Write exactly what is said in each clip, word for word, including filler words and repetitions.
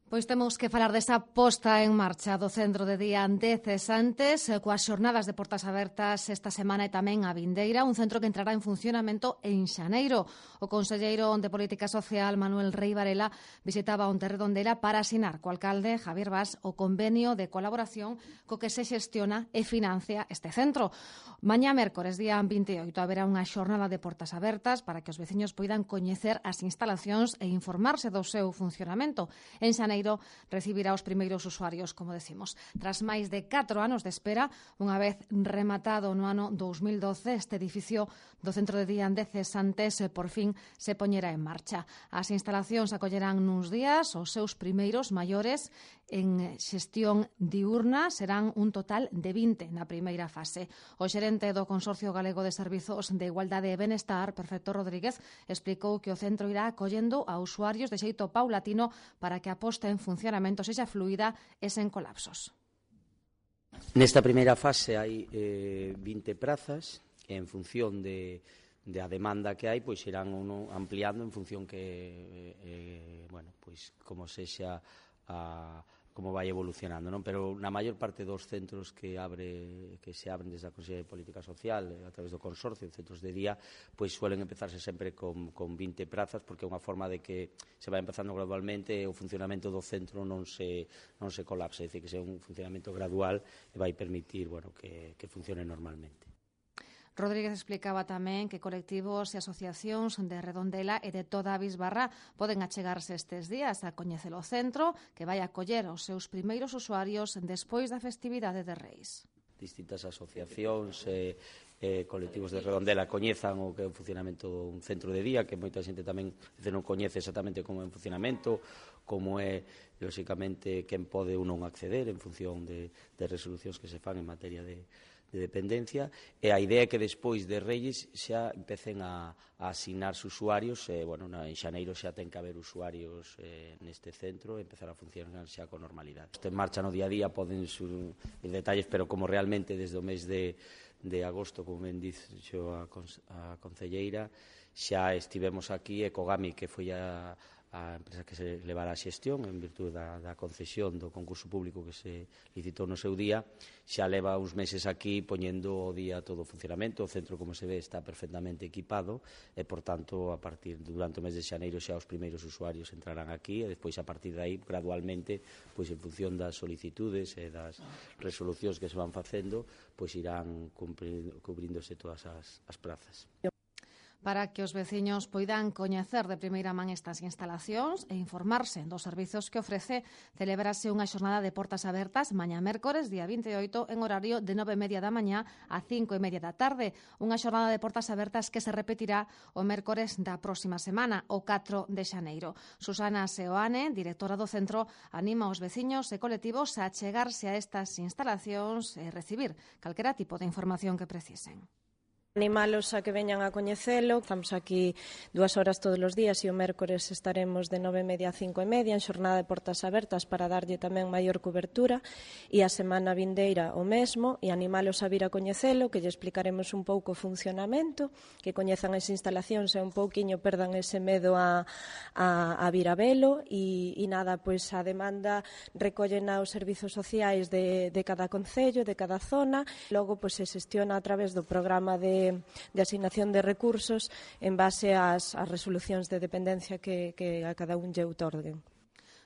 Pois temos que falar desa posta en marcha do Centro de Día de Cesantes coas xornadas de portas abertas esta semana e tamén a vindeira, un centro que entrará en funcionamento en xaneiro. O conselleiro de Política Social, Manuel Rei Varela, visitaba onte Redondela para asinar co alcalde Javier Bas o convenio de colaboración co que se xestiona e financia este centro. Mañá mércores, día vinte e oito, haberá unha xornada de portas abertas para que os veciños poidan coñecer as instalacións e informarse do seu funcionamento. En xaneiro recibirá os primeiros usuarios, como decimos. Tras máis de catro anos de espera, unha vez rematado no ano dous mil doce, este edificio do Centro de Día de Cesantes por fin se poñerá en marcha. As instalacións acollerán nuns días os seus primeiros maiores en xestión diurna, serán un total de vinte na primeira fase. O xerente do Consorcio Galego de Servizos de Igualdade e Benestar, Perfecto Rodríguez, explicou que o centro irá acollendo a usuarios de xeito paulatino para que a posta en funcionamento sexa fluida e sen colapsos. Nesta primeira fase hai eh, vinte prazas e en función de, de a demanda que hai, pois irán uno ampliando en función que eh, bueno, pois como sexa a como vai evolucionando, non? Pero na maior parte dos centros que abre que se abren desde a Consellería de Política Social a través do consorcio, centros de día, pois suelen empezarse sempre con, con vinte prazas, porque é unha forma de que se vai empezando gradualmente e o funcionamento do centro non se, non se colapse, é dicir, que sea un funcionamento gradual e vai permitir, bueno, que, que funcione normalmente. Rodríguez explicaba tamén que colectivos e asociacións de Redondela e de toda a Bisbarra poden achegarse estes días a coñecer o centro, que vai acoller os seus primeiros usuarios despois da festividade de Reis. Distintas asociacións e eh, eh, colectivos de Redondela coñezan o que é o funcionamento dun centro de día, que moita xente tamén non coñece exactamente como é o funcionamento, como é, lóxicamente, quen pode ou non acceder en función de, de resolucións que se fan en materia de de dependencia, e a idea é que despois de Reyes xa empecen a, a asignarse usuarios, e, bueno, en xaneiro xa ten que haber usuarios eh, neste centro e empezar a funcionar xa con normalidade. Isto en marcha no día a día, poden sur detalles, pero como realmente desde o mes de, de agosto, como ben dixo a, a concelleira, xa estivemos aquí e Cogami, que foi a a empresa que se levará a xestión en virtude da, da concesión do concurso público que se licitou no seu día, xa leva uns meses aquí poñendo o día todo o funcionamento. O centro, como se ve, está perfectamente equipado e, por tanto, a partir durante o mes de xaneiro xa os primeiros usuarios entrarán aquí e despois, a partir de aí, gradualmente, pois en función das solicitudes e das resolucións que se van facendo, pois irán cubríndose todas as, as plazas. Para que os veciños poidan coñecer de primeira man estas instalacións e informarse dos servizos que ofrece, celebrase unha xornada de portas abertas mañá mércores, día vinte e oito, en horario de nove e media da mañá a cinco e media da tarde. Unha xornada de portas abertas que se repetirá o mércores da próxima semana, o catro de xaneiro. Susana Seoane, directora do centro, anima os veciños e colectivos a achegarse a estas instalacións e recibir calquera tipo de información que precisen. Animalos a que veñan a coñecelo. Estamos aquí dúas horas todos os días e o mércores estaremos de nove e media a cinco e media en xornada de portas abertas para darlle tamén maior cobertura, e a semana vindeira o mesmo, e animalos a vir a coñecelo, que lle explicaremos un pouco o funcionamento, que coñezan as instalacións e un pouquiño perdan ese medo a, a, a vir a velo, e, e nada, pois a demanda recollena os servizos sociais de, de cada concello, de cada zona, logo pois se xestiona a través do programa de de asignación de recursos en base ás, ás resolucións de dependencia que, que a cada un lle outorguen.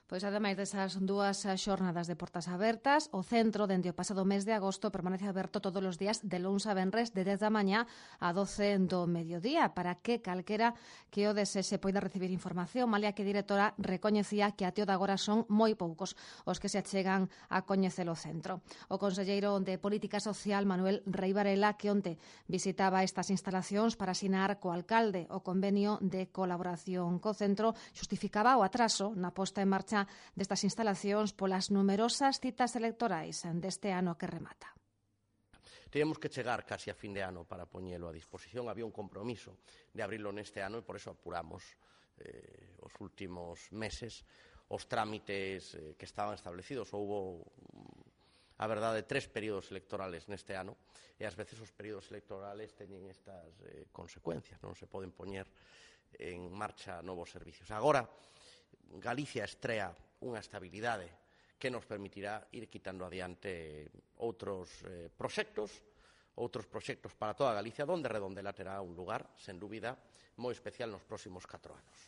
Pois, ademais desas dúas xornadas de portas abertas, o centro, dende o pasado mes de agosto, permanece aberto todos os días de luns a venres de dez da mañá a doce do mediodía, para que calquera que o desexe poida recibir información, malia que a directora recoñecía que até o de agora son moi poucos os que se achegan a coñecer o centro. O conselleiro de Política Social, Manuel Rei Varela, que onte visitaba estas instalacións para asinar co alcalde o convenio de colaboración co centro, xustificaba o atraso na posta en marcha destas instalacións polas numerosas citas electorais deste ano que remata. Teníamos que chegar casi a fin de ano para poñelo a disposición. Había un compromiso de abrilo neste ano e por eso apuramos eh, os últimos meses os trámites eh, que estaban establecidos. Houbo, a verdade, tres períodos electorales neste ano e ás veces os períodos electorales teñen estas eh, consecuencias, non se poden poñer en marcha novos servicios. Agora, Galicia estrea unha estabilidade que nos permitirá ir quitando adiante outros eh, proxectos, outros proxectos para toda Galicia, onde Redondela terá un lugar, sen dúbida, moi especial nos próximos catro anos.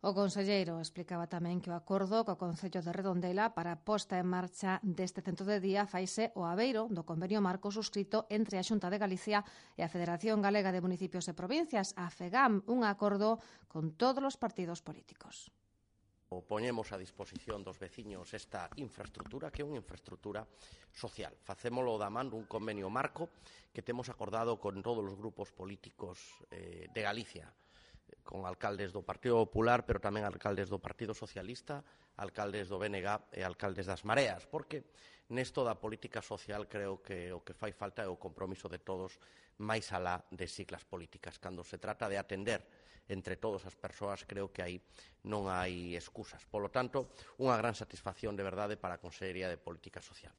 O conselleiro explicaba tamén que o acordo co Concello de Redondela para a posta en marcha deste centro de día faise o abeiro do convenio marco suscrito entre a Xunta de Galicia e a Federación Galega de Municipios e Provincias, a FEGAM, un acordo con todos os partidos políticos. Poñemos a disposición dos veciños esta infraestructura, que é unha infraestructura social. Facémolo da man dun convenio marco que temos acordado con todos os grupos políticos eh, de Galicia, con alcaldes do Partido Popular, pero tamén alcaldes do Partido Socialista, alcaldes do B N G e alcaldes das Mareas, porque nesto da política social creo que o que fai falta é o compromiso de todos máis alá de siglas políticas. Cando se trata de atender entre todas as persoas, creo que aí non hai excusas. Polo tanto, unha gran satisfacción de verdade para a Consellería de Política Social.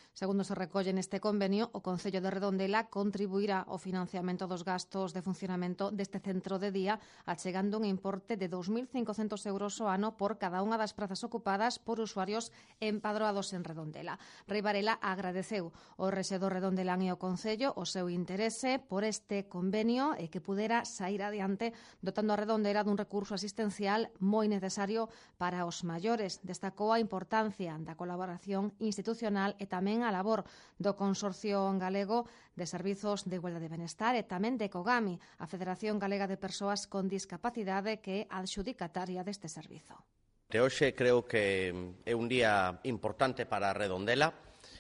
Segundo se recolle neste convenio, o Concello de Redondela contribuirá ao financiamento dos gastos de funcionamento deste centro de día, achegando un importe de dous mil cincocentos euros ao ano por cada unha das prazas ocupadas por usuarios empadroados en Redondela. Rei Varela agradeceu ao rexedor redondelán e ao Concello o seu interese por este convenio e que pudera sair adiante dotando a Redondela dun recurso asistencial moi necesario para os maiores. Destacou a importancia da colaboración institucional e tamén a labor do Consorcio Galego de Servizos de Igualdade de Benestar e tamén de COGAMI, a Federación Galega de Persoas con Discapacidade, que é adxudicataria deste servizo. De hoxe creo que é un día importante para Redondela,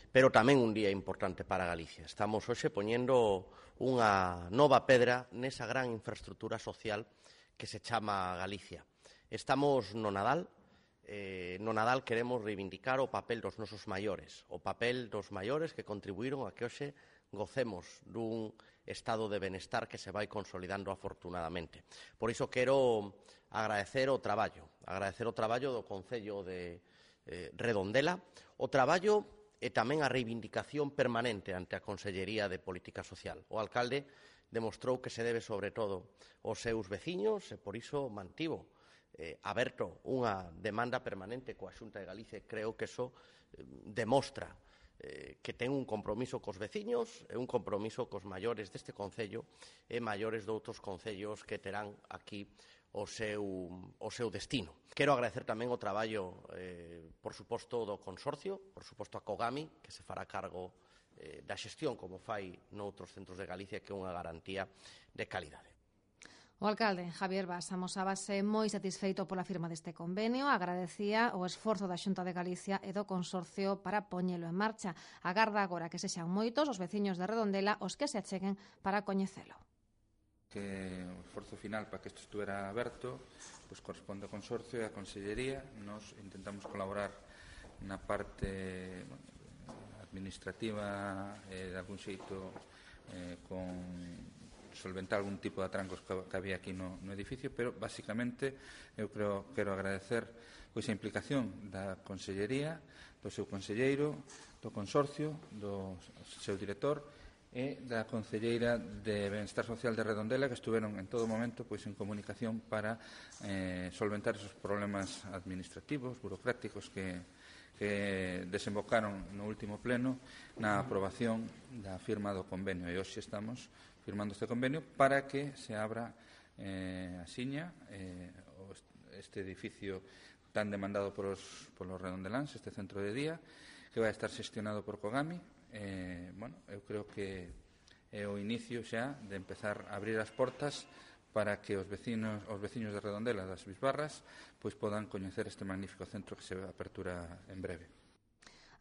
pero tamén un día importante para Galicia. Estamos hoxe poñendo unha nova pedra nesa gran infraestructura social que se chama Galicia. Estamos no Nadal. Eh, no Nadal queremos reivindicar o papel dos nosos maiores, o papel dos maiores que contribuíron a que hoxe gocemos dun estado de benestar que se vai consolidando afortunadamente. Por iso quero agradecer o traballo, agradecer o traballo do Concello de eh, Redondela, o traballo e tamén a reivindicación permanente ante a Consellería de Política Social. O alcalde demostrou que se debe sobre todo aos seus veciños e por iso mantivo Eh, aberto unha demanda permanente coa Xunta de Galicia. Creo que eso eh, demostra eh, que ten un compromiso cos veciños e un compromiso cos maiores deste Concello e maiores de outros concellos que terán aquí o seu, o seu destino. Quero agradecer tamén o traballo, eh, por suposto, do Consorcio, por suposto a COGAMI, que se fará cargo eh, da xestión como fai noutros centros de Galicia, que é unha garantía de calidade. O alcalde Javier Bas amosábase moi satisfeito pola firma deste convenio, agradecía o esforzo da Xunta de Galicia e do Consorcio para poñelo en marcha. Agarda agora que sexan moitos os veciños de Redondela os que se acheguen para coñecelo. Que o esforzo final para que isto estuera aberto pues corresponde ao Consorcio e á Consellería. Nos intentamos colaborar na parte bueno, administrativa e de algún xeito eh, con solventar algún tipo de atrancos que había aquí no, no edificio, pero basicamente eu creo, quero agradecer pois a implicación da Consellería, do seu conselleiro, do Consorcio, do seu director e da Concelleira de Benestar Social de Redondela, que estuveron en todo momento pois en comunicación para eh, solventar esos problemas administrativos, burocráticos que que desembocaron no último pleno na aprobación da firma do convenio. E hoxe estamos firmando este convenio para que se abra eh, a Siña, eh, este edificio tan demandado por os, por los redondeláns, este centro de día, que vai estar xestionado por COGAMI. Eh, bueno, eu creo que é o inicio xa de empezar a abrir as portas para que os vecinos, os veciños de Redondela das Bisbarras pois podan coñecer este magnífico centro que se apertura en breve.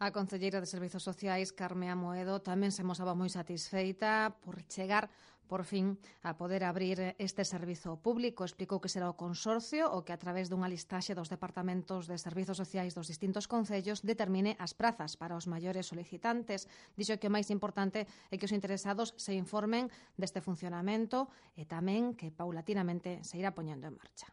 A concelleira de Servizos Sociais, Carme Amoedo, tamén se mosaba moi satisfeita por chegar, por fin, a poder abrir este servizo público. Explicou que será o Consorcio o que, a través dunha listaxe dos departamentos de Servizos Sociais dos distintos concellos, determine as prazas para os maiores solicitantes. Dixo que o máis importante é que os interesados se informen deste funcionamento e tamén que paulatinamente se irá poñendo en marcha.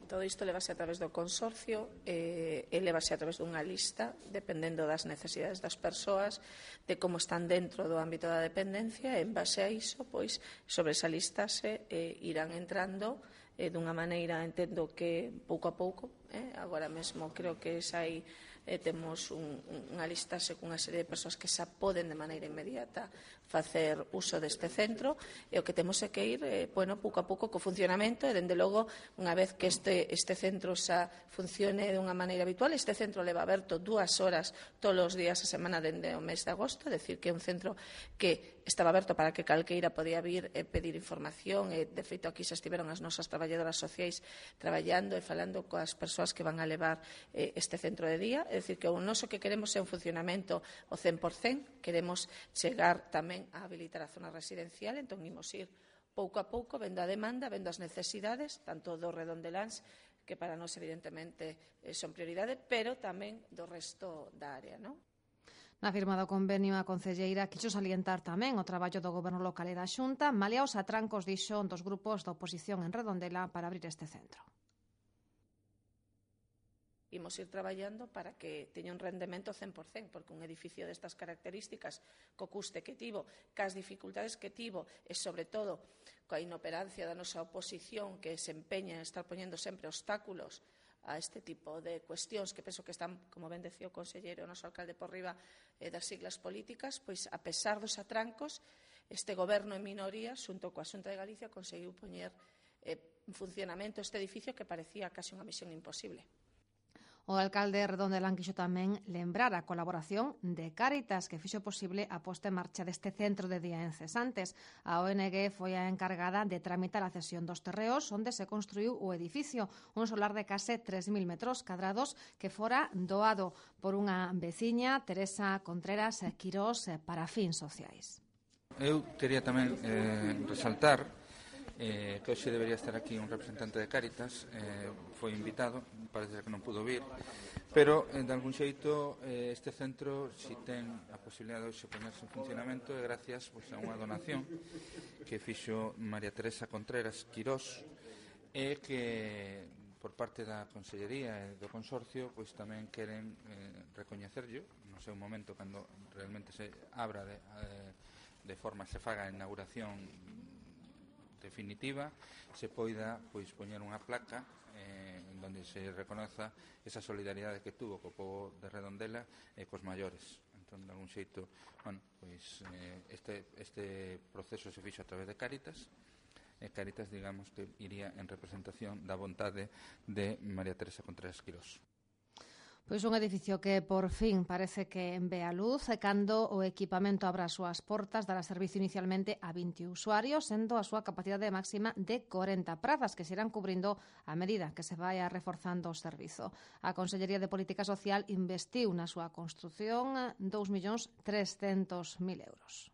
Todo isto levase a través do consorcio e, e levase a través dunha lista dependendo das necesidades das persoas, de como están dentro do ámbito da dependencia, e en base a iso, pois, sobre esa lista se eh, irán entrando eh, dunha maneira, entendo que pouco a pouco, eh, agora mesmo creo que xa hai eh, temos un, unha listaxe cunha serie de persoas que xa poden de maneira inmediata facer uso deste centro, e o que temos é que ir eh, bueno, pouco a pouco co funcionamento, e dende logo unha vez que este, este centro xa funcione de unha maneira habitual. Este centro leva aberto dúas horas todos os días a semana dende o mes de agosto, é dicir, que é un centro que estaba aberto para que calqueira podía vir e pedir información, e de feito aquí xa estiveron as nosas traballadoras sociais traballando e falando coas persoas que van a levar eh, este centro de día. É dicir, que o noso que queremos é un funcionamento o cen por cen, queremos chegar tamén a habilitar a zona residencial, entón imos ir pouco a pouco, vendo a demanda, vendo as necesidades, tanto do redondeláns, que para nós evidentemente son prioridade, pero tamén do resto da área, non? Na firma do convenio, a concelleira quixo salientar tamén o traballo do Goberno local e da Xunta, malia os atrancos, dixo, dos grupos da oposición en Redondela para abrir este centro. Imos ir traballando para que teña un rendemento cen por cen, porque un edificio destas características, co custe que tivo, cas dificultades que tivo, e, sobre todo, coa inoperancia da nosa oposición, que se empeña en estar poñendo sempre obstáculos a este tipo de cuestións que penso que están, como ben decía o conselleiro, o noso alcalde por riba eh, das siglas políticas, pois, a pesar dos atrancos, este goberno en minoría, xunto coa Xunta de Galicia, conseguiu poñer eh, en funcionamento este edificio que parecía case unha misión imposible. O alcalde Redondelán quixo tamén lembrar a colaboración de Cáritas, que fixo posible a posta en marcha deste centro de día en Cesantes. A O N G foi a encargada de tramitar a cesión dos terreos onde se construiu o edificio, un solar de case tres mil metros cadrados que fora doado por unha veciña, Teresa Contreras Quirós, para fins sociais. Eu quería tamén eh, resaltar Eh, que hoxe debería estar aquí un representante de Cáritas, eh, foi invitado, parece que non pudo vir, pero eh, de algún xeito eh, este centro si ten a posibilidade de hoxe ponerse en funcionamento é gracias pois, a unha donación que fixo María Teresa Contreras Quirós, e que por parte da Consellería e do Consorcio pois tamén queren eh, recoñecerllo no seu momento cando realmente se abra de, eh, de forma se faga a inauguración definitiva, se poida pois poñer unha placa eh, en donde se reconoza esa solidaridade que tuvo co povo de Redondela e cos maiores. Entón, de algún xeito, bueno, pois eh, este, este proceso se fixo a través de Cáritas, e Cáritas, digamos, que iría en representación da vontade de María Teresa Contreras Quirós. Pois un edificio que por fin parece que ve a luz e cando o equipamento abra as súas portas dará servicio inicialmente a vinte usuarios, sendo a súa capacidade máxima de corenta prazas que se irán cubrindo a medida que se vai reforzando o servizo. A Consellería de Política Social investiu na súa construción dous millóns trescentos mil euros.